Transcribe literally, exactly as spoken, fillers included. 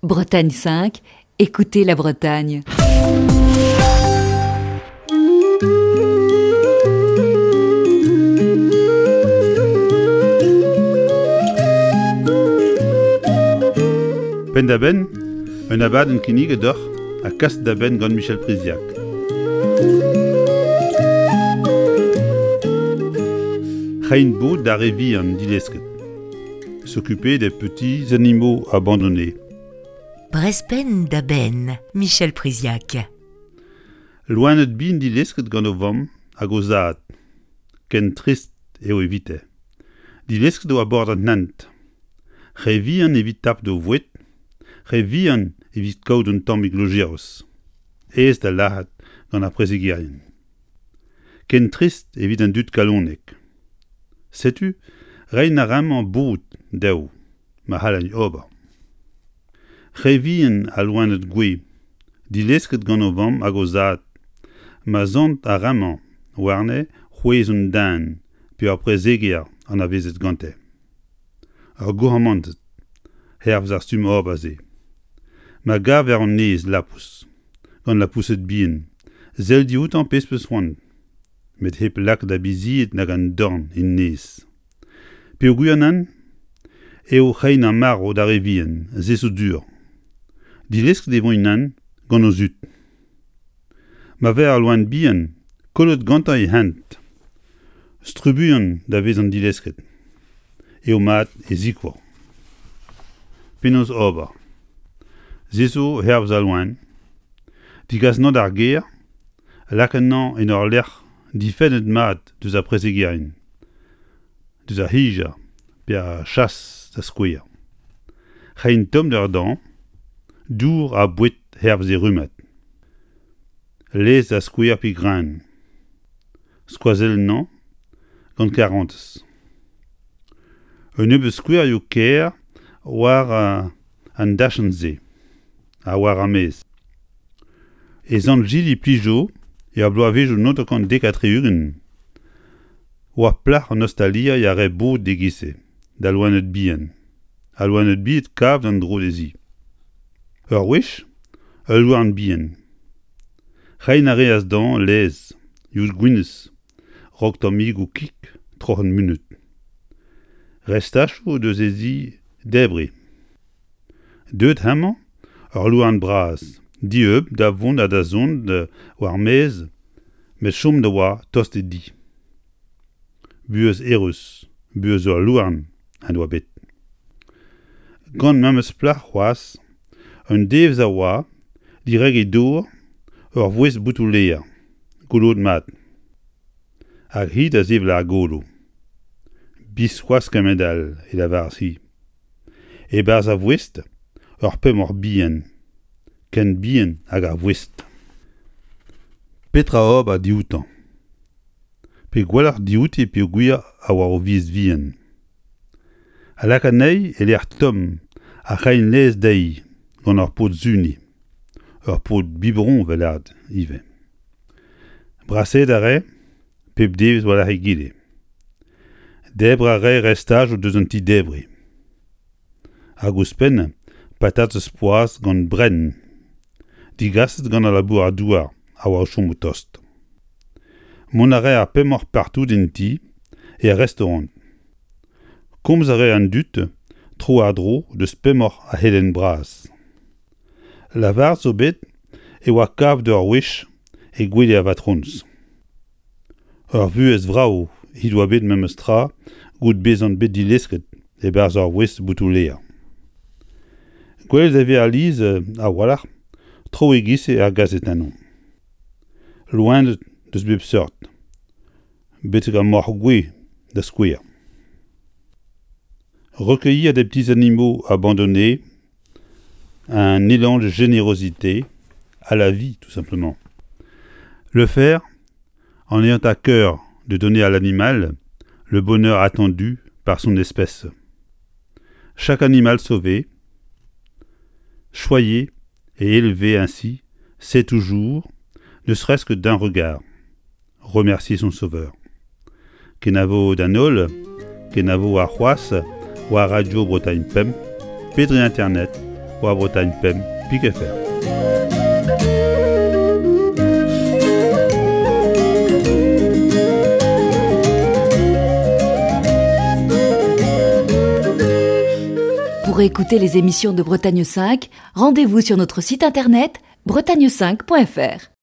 Bretagne cinq, écoutez la Bretagne. Penn-da-benn, un abadenn kinniget deoc'h ha kaset da benn gant Michel Priziac. Reiñ bod d'ar re vihan dilesket. S'occuper des petits animaux abandonnés. Brezh penn da benn, Michel Priziac. Loened bihan dilesket gant o vamm hag o zad. Ken trist eo evite. Dilesket war bord an hent. Re vihan evit tapout o boued, re vihan evit kaout un tammig lojeiz. Aes da lâret gant ar prezegerien. Ken trist evit an dud kalonek. Setu, reiñ a raimp bod dezho, ma c'hallint ober. Re vihan al loened gouez, dilesket gant o vamm hag o zad, ma sant ar re-mañ warne c'hwezh un den pe ur prezeger anavezet gante. Ur gourc'hemenn hervez ar stumm ober-se. Ma gaver an neizh lapous, gant lapoused bihan, sell dioutañ pezh 'peus c'hoant, met hep lakaat ar bizied nag an dorn en neizh. Peogwir nann eo reiñ ar marv d'ar re vihan, se zo sur. Dilesket e voint nann gant o zud. Ma vez ul loen bihan, kollet gantañ e hent, trubuilh da vezañ dilesket, eo mat e sikour. Penaos ober? Se zo hervez al loen. Degas anezhañ d'ar gêr, lakaat anezhañ en ul lec'h difennet mat diouzh ar prezegerien, diouzh ar c'hijañ pe ar chas da skouer. Reiñ tommder dezhañ, dour ha boued hervez e rummad. Laezh da skouer pe greun. Skoazell anezhañ gant karantez. Un nebeud skouerioù kaer war an dachenn-se ha war ar maez. E Sant-Jili-Plijo er bloavezhioù naontek dek ha tri-ugent oa plac'h an ostaliri a rae bod e-giz-se da loened bihan, ha loened bihan kavet en-dro dezhi. Ur wech, ul louarn bihan. Reiñ a reas dezhañ laezh, yod gwinizh, raok tammigoù kig troc'het munut. Restachoù eus he zi debriñ. Deuet hemañ ul louarn bras, dieub da vont ha da zont war-maez, met chomet a oa tost d'e di. Buhez eürus, buhez ul louarn en doa bet. Gant memes plac'h c'hoazh, un devezh a oa, dirak e dor, ur voest botoù-lêr, goloet mat. Hag hi da sevel ar golo. Biskoazh kement-all, e lavaras-hi. E-barzh ar voest, ur pemoc'h bihan, ken bihan hag ar voest. Petra ober dioutañ? Pe gwelloc'h diouti peogwir a oa o viz vihan. Ha lakaat anezhi e lec'h tomm ha reiñ laezh dezhi gant ur pod-suniñ, ur pod biberon 'vel lâret ivez. Brasaet a rae pep devezh war-lerc'h egile. Debriñ a rae restajoù deus an ti-debriñ. Hag ouzhpenn patatez poazh gant brenn, degaset gant al labourer-douar a oa o chom tost. Mont a rae ar pemoc'h partout en ti, er restaorant. Komz a rae an dud tro-war-dro deus pemoc'h ar c'helenn bras. Lavaret zo bet e oa kavet ur wech e gwele ar vatrones. Ur vuhez vrav he doa bet memes tra goude bezañ bet dilesket e-barzh ur voest botoù-lêr. Gwelet e vez alies a-walc'h traoù e-giz-se er gazetennoù. Loened deus bep seurt, betek ar moc'h-gouez da skouer. Recueillir des petits animaux abandonnés, un élan de générosité à la vie, tout simplement. Le faire en ayant à cœur de donner à l'animal le bonheur attendu par son espèce. Chaque animal sauvé, choyé et élevé ainsi, sait toujours, ne serait-ce que d'un regard, remercier son sauveur. Kenavo d'an holl, kenavo warc'hoazh, war Radio Bretagne Pemp, pe dre internet, war Bretagne pemp pik F R. Pour écouter les émissions de Bretagne cinq, rendez-vous sur notre site internet bretagne cinq point F R.